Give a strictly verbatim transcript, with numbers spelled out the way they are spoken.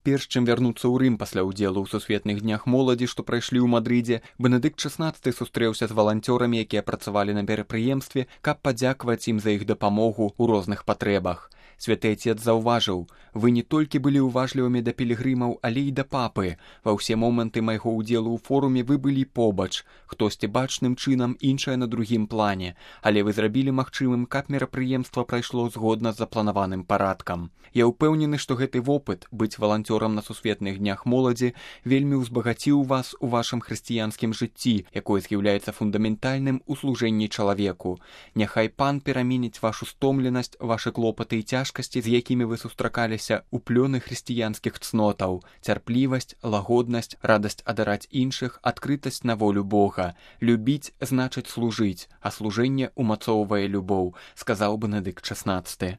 Перш чым вярнуцца ў Рым пасля ўдзелу ў сусветных днях моладзі, што прайшлі ў Мадрыдзе, Бенедыкт шаснаццаты сустрэўся з валанцёрамі, якія працавалі на мерапрыемстве, каб падзякаваць ім за іх дапамогу ў розных патрэбах. Святы Отец заўважыў: «Вы не толькі былі ўважлівымі да пілігрымаў, але і да папы. Ва ўсе моманты майго ўдзелу ў форуме вы былі побач, хтосьці бачным чынам, іншае на другім плане, але вы зрабілі магчымым, каб мерапрыемства прайшло згодна з запланаваным парадкам. Я ўпэўнены, што гэты вопыт быць валанцёрам на сусветных днях моладзі вельмі ўзбагаціў вас у вашым хрысціянскім жыцці, якое з'яўляецца фундаментальным у служэнні чалавеку. Няхай Пан пераменіць вашу стомленасць, вашы клопаты і цяжкасці, з якімі вы сустракаліся, у плёны хрысціянскіх цнотаў: цярплівасць, лагоднасць, радасць адараць іншых, адкрытасць на волю Бога. Любіць значыць служыць, а служэнне умацоўвае любоў», сказаў Бенедыкт шаснаццаты.